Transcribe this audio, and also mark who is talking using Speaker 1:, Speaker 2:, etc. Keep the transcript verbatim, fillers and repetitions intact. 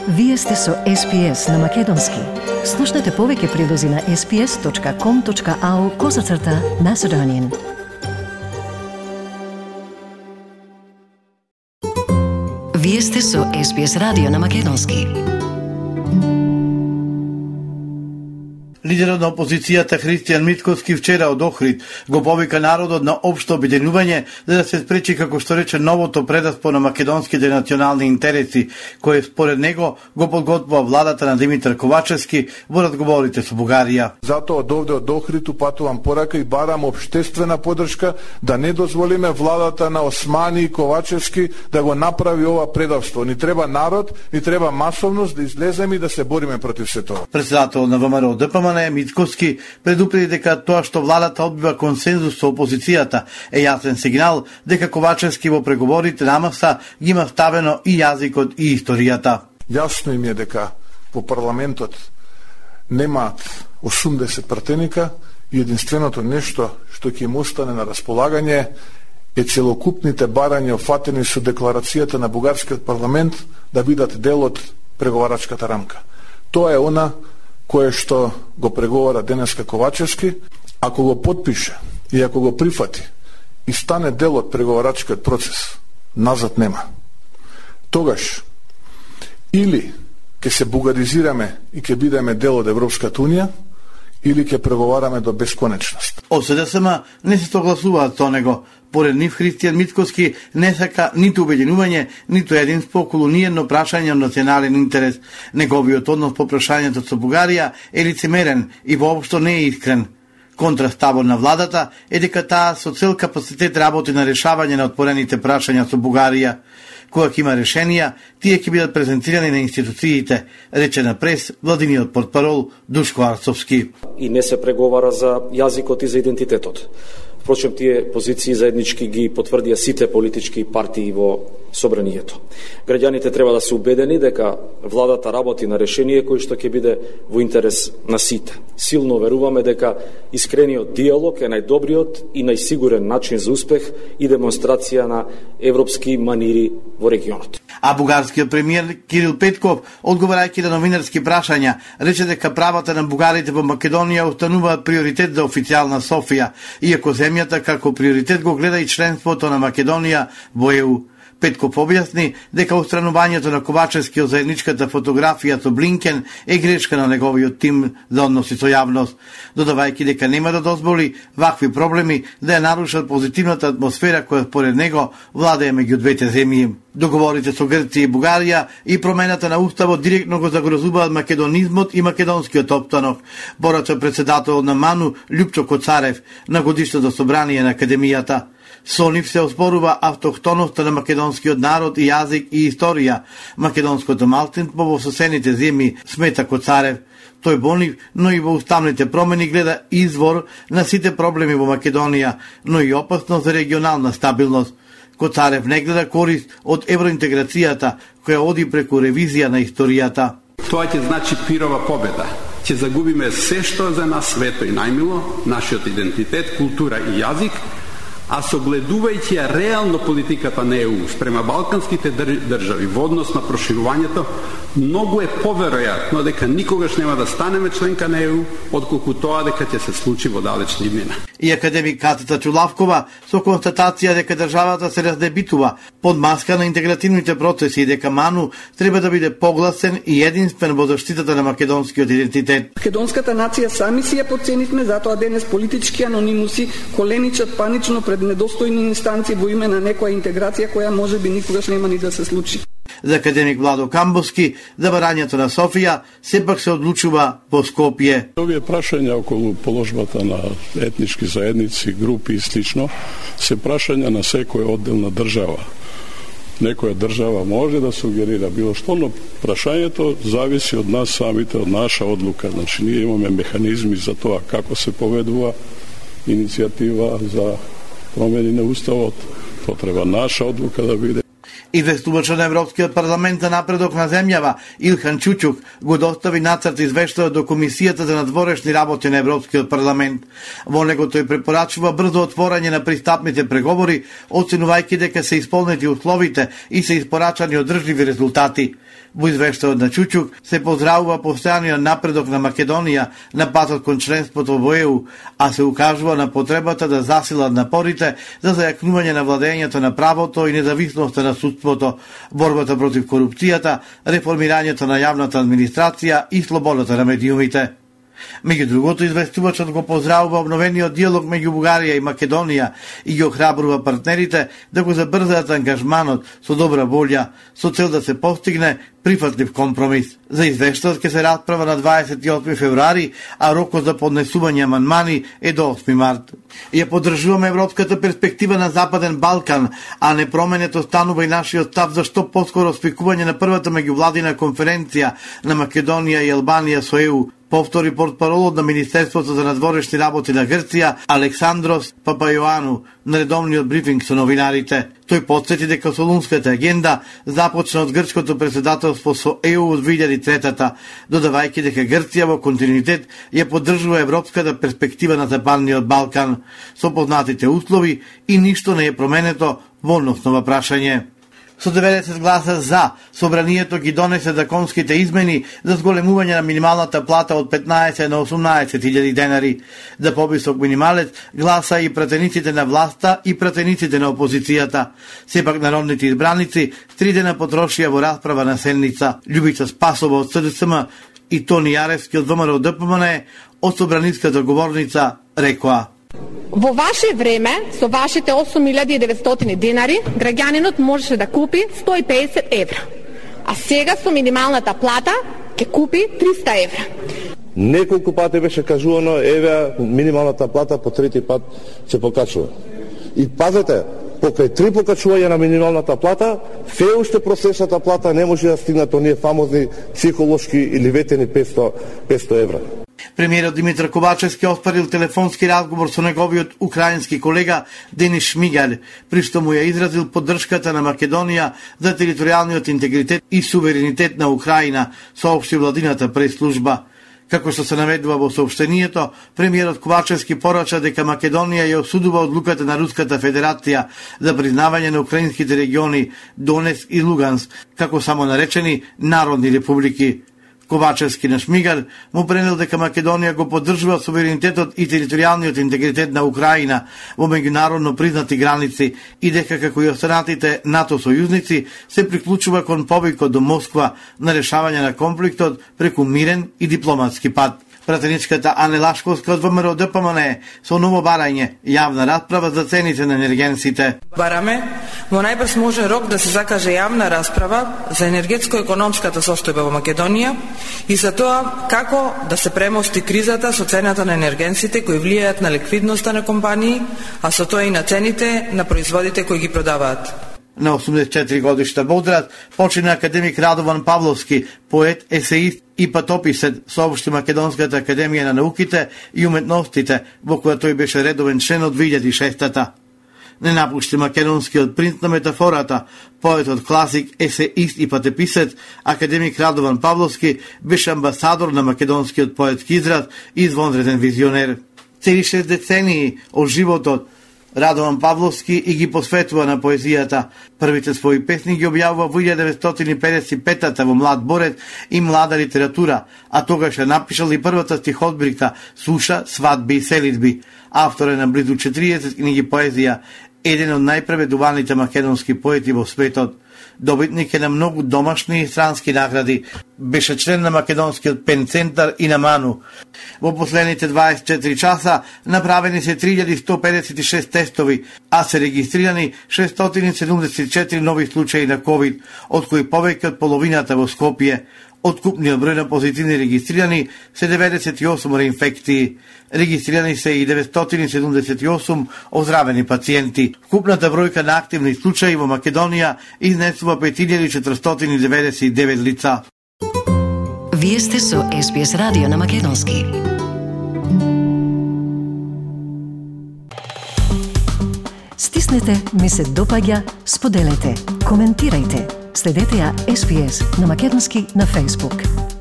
Speaker 1: Вие сте со Ес Пи Ес на Македонски. Слушнете повеќе прилози на ес пи ес точка ком точка ау козацрта Macedonian. Вие сте со Ес Пи Ес радио на Македонски.
Speaker 2: Лидерот на опозицијата Христијан Мицкоски вчера од Охрид го повика народот на општо обединување за да се спречи, како што рече, новото предаспо на македонските национални интереси, кое според него го подготвува владата на Димитар Ковачевски во разговорите со Бугарија.
Speaker 3: Затоа од овде од Охрид упатувам порака и барам општествена поддршка да не дозволиме владата на Османи и Ковачевски да го направи ова предавство. Ни треба народ, ни треба масовност да излеземе и да се бориме против се тоа.
Speaker 2: Председател на ВМРО Д П М Н Мицкоски предупреди дека тоа што владата одбива консензус со опозицијата е јасен сигнал дека Ковачевски во преговорите на маса ги има ставено и јазикот и историјата.
Speaker 3: Јасно им е дека во парламентот немаат осумдесет пратеника и единственото нешто што ќе им остане на располагање е целокупните барања офатени со декларацијата на бугарскиот парламент да бидат дел од преговарачката рамка. Тоа е она кое што го преговара денеска Ковачевски. Ако го подпише и ако го прифати и стане дел од преговарачкиот процес, назад нема. Тогаш или ќе се бугаризираме и ќе бидеме дел од Европската унија, или ќе преговараме до бесконечност.
Speaker 2: Од С Д С М не се согласуваат со него. Поред нив Христијан Мицкоски не сака ниту обединување, ниту единство околу ниедно прашање од национален интерес. Неговиот однос по прашањето со Бугарија е лицемерен и воопшто не е искрен. Контраставот на владата е дека таа со цел капацитет работи на решавање на отпорените прашања со Бугарија. Кога ќе има решенија, тие ќе бидат презентирани на институциите, рече на прес владиниот портпарол Душко Арцовски.
Speaker 4: И не се преговара за јазикот и за идентитетот. Впрочем, тие позиции заеднички ги потврдија сите политички партии во собранието. Граѓаните треба да се убедени дека владата работи на решение кој што ќе биде во интерес на сите. Силно веруваме дека искрениот диалог е најдобриот и најсигурен начин за успех и демонстрација на европски манири во регионот.
Speaker 2: А бугарскиот премиер Кирил Петков, одговарајќи на новинарски прашања, рече дека правата на бугарите во Македонија остануваат приоритет за официјална Софија, иако земјата како приоритет го гледа и членството на Македонија во Е У. Петков објасни дека устранувањето на Ковачевски од заедничката фотографија со Блинкен е грешка на неговиот тим за односи со јавност, додавајќи дека нема да дозволи вакви проблеми да ја нарушат позитивната атмосфера која според него владее меѓу двете земји. Договорите со Грција и Бугарија и промената на уставот директно го загрозуваат македонизмот и македонскиот опстанок, порача председател на МАНУ Љупчо Коцарев на годишното собрание на Академијата. Со нив се оспорува автохтоноста на македонскиот народ и јазик и историја, македонското малцинство во соседните земји, смета Коцарев. Тој во нив, но и во уставните промени гледа извор на сите проблеми во Македонија, но и опасност за регионална стабилност. Коцарев не гледа корист од евроинтеграцијата, која оди преку ревизија на историјата.
Speaker 5: Тоа ќе значи пирова победа. Ќе загубиме се што за нас свето и најмило, нашиот идентитет, култура и јазик, а согледувајќи ја реално политиката на Е У спрема балканските држави во однос на проширувањето, многу е поверојатно дека никогаш нема да станеме членка на Е У, отколку тоа дека ќе се случи во далечна иднина. И
Speaker 2: академик Катица Чулавкова со констатација дека државата се раздебитува под маска на интегративните процеси и дека МАНУ треба да биде погласен и единствен во заштитата на македонскиот идентитет.
Speaker 6: Македонската нација сами си ја подценивме, затоа денес политички анонимуси коленичат панично пред недостојни инстанции во име на некоја интеграција која можеби никогаш нема ни да се случи.
Speaker 2: За академик Владо Камбовски, забарањето на Софија сепак се одлучува во Скопје.
Speaker 7: Овие прашања околу положбата на етнички заедници, групи и слично се прашања на секоја одделна држава. Некоја држава може да сугерира било што, но прашањето зависи од нас самите, од наша одлука. Значи, ние имаме механизми за тоа како се поведува иницијатива за промени на уставот. Тоа треба наша одлука да биде.
Speaker 2: Известувачот на Европскиот парламент за напредок на земјава Илхан Чучук го достави нацрт извештајот до Комисијата за надворешни работи на Европскиот парламент. Во него тој препорачува брзо отворање на пристапните преговори, оценувајќи дека се исполнети условите и се испорачани одржливи резултати. Во извештајот на Чучук се поздравува постојаниот напредок на Македонија на патот кон членството во Е У, а се укажува на потребата да засилат напорите за зајакнување на владењето на правото и независноста на судството, борбата против корупцијата, реформирањето на јавната администрација и слободата на медиумите. Меѓу другото, известувачот го поздравува обновениот диалог меѓу Бугарија и Македонија и ги охрабрува партнерите да го забрзаат ангажманот со добра волја, со цел да се постигне прифатлив компромис. За извештајот ќе се расправа на дваесет и осми февруари, а рокот за поднесување амандмани е до осми март. Ја поддржуваме европската перспектива на Западен Балкан, а не променето станува и нашиот став за што поскоро спикување на првата меѓувладина конференција на Македонија и Албанија со Е У, повтори портпаролот на Министерството за надворешни работи на Грција Александрос Папајоану на редовниот брифинг со новинарите. Тој потсети дека Солунската агенда започна од грчкото председателство со Е У од две илјади и трета, додавајќи дека Грција во континуитет ја поддржува европската перспектива на Западниот Балкан со познатите услови и ништо не е променето во односно прашање. Со деветдесет гласа за, собранието ги донесе законските измени за зголемување на минималната плата од петнаесет на осумнаесет илјади денари. За повисок минималец гласа и пратениците на власта и пратениците на опозицијата. Сепак народните избраници три дена потрошија во расправа на седница. Љубица Спасова од С Д С М и Тони Јаревски од Во М Р Д П М Н од собраниската говорница рекоа:
Speaker 8: Во ваше време, со вашите осум илјади и деветстотини денари, граѓанинот можеше да купи сто и педесет евра. А сега со минималната плата ќе купи триста евра.
Speaker 9: Неколку пати беше кажувано, еве минималната плата по трети пат се покачува. И пазете, покрај три покачувања на минималната плата, фе уште просечната плата не може да стигне до оние фамозни психолошки или ветени петсто евра.
Speaker 2: Премиерот Димитар Ковачевски оспарил телефонски разговор со неговиот украински колега Денис Шмигаль, при што му ја изразил поддршката на Македонија за територијалниот интегритет и суверенитет на Украина, соопшти владината прес-служба. Како што се наведува во соопштението, премиерот Ковачевски порача дека Македонија ја осудува одлуката на Руската Федерација за признавање на украинските региони Донецк и Луганск како самонаречени народни републики. Ковачевски на Шмигаль му пренел дека Македонија го поддржува суверенитетот и територијалниот интегритет на Украина во меѓународно признати граници и дека како и останатите НАТО сојузници се приклучува кон повикот до Москва на решавање на конфликтот преку мирен и дипломатски пат. Пратеничката Ане Лашковска од Во М Р Д П М Н со ново барање, јавна расправа за цените на енергенсите.
Speaker 10: Бараме во најбрз можен рок да се закаже јавна расправа за енергетско-економската состојба во Македонија и за тоа како да се премости кризата со цената на енергенсите кои влијаат на ликвидноста на компании, а со тоа и на цените на производите кои ги продаваат.
Speaker 2: На осумдесет и четири годишта Бодрат почина академик Радован Павловски, поет, есеист и патописец, соопшти Македонската академија на науките и уметностите, во која тој беше редовен член од две илјади и шеста. Не напушти македонскиот принц на метафората, поетот класик, есеист и патописец, академик Радован Павловски беше амбасадор на македонскиот поетски израз и извонреден визионер. Цели шест децении од животот Радован Павловски и ги посветува на поезијата. Првите своји песни ги објавува во илјада деветстотини педесет и пета во Млад борец и Млада литература, а тогаш ја напишал и првата стихотбирка Суша, свадби и селидби. Автор е на близу четириесет книги поезија, еден од најпреведуваните македонски поети во светот. Добитник е на многу домашни и странски награди. Беше член на Македонскиот пен центар и на МАНУ. Во последните дваесет и четири часа направени се три илјади сто педесет и шест тестови, а се регистрирани шестстотини седумдесет и четири нови случаи на ковид, од кои повеќе од половината во Скопје. Од купниот број на позитивни регистрирани се деветдесет и осум реинфекции. Регистрирани се и деветстотини седумдесет и осум оздравени пациенти. Купната бројка на активни случаи во Македонија изнесува пет илјади четиристотини деветдесет и девет лица.
Speaker 1: Вие сте со Ес Би Ес радио на македонски. Стиснете ми се допаѓа, споделете, коментирајте. Следете ја Ес Би Ес на македонски на Facebook.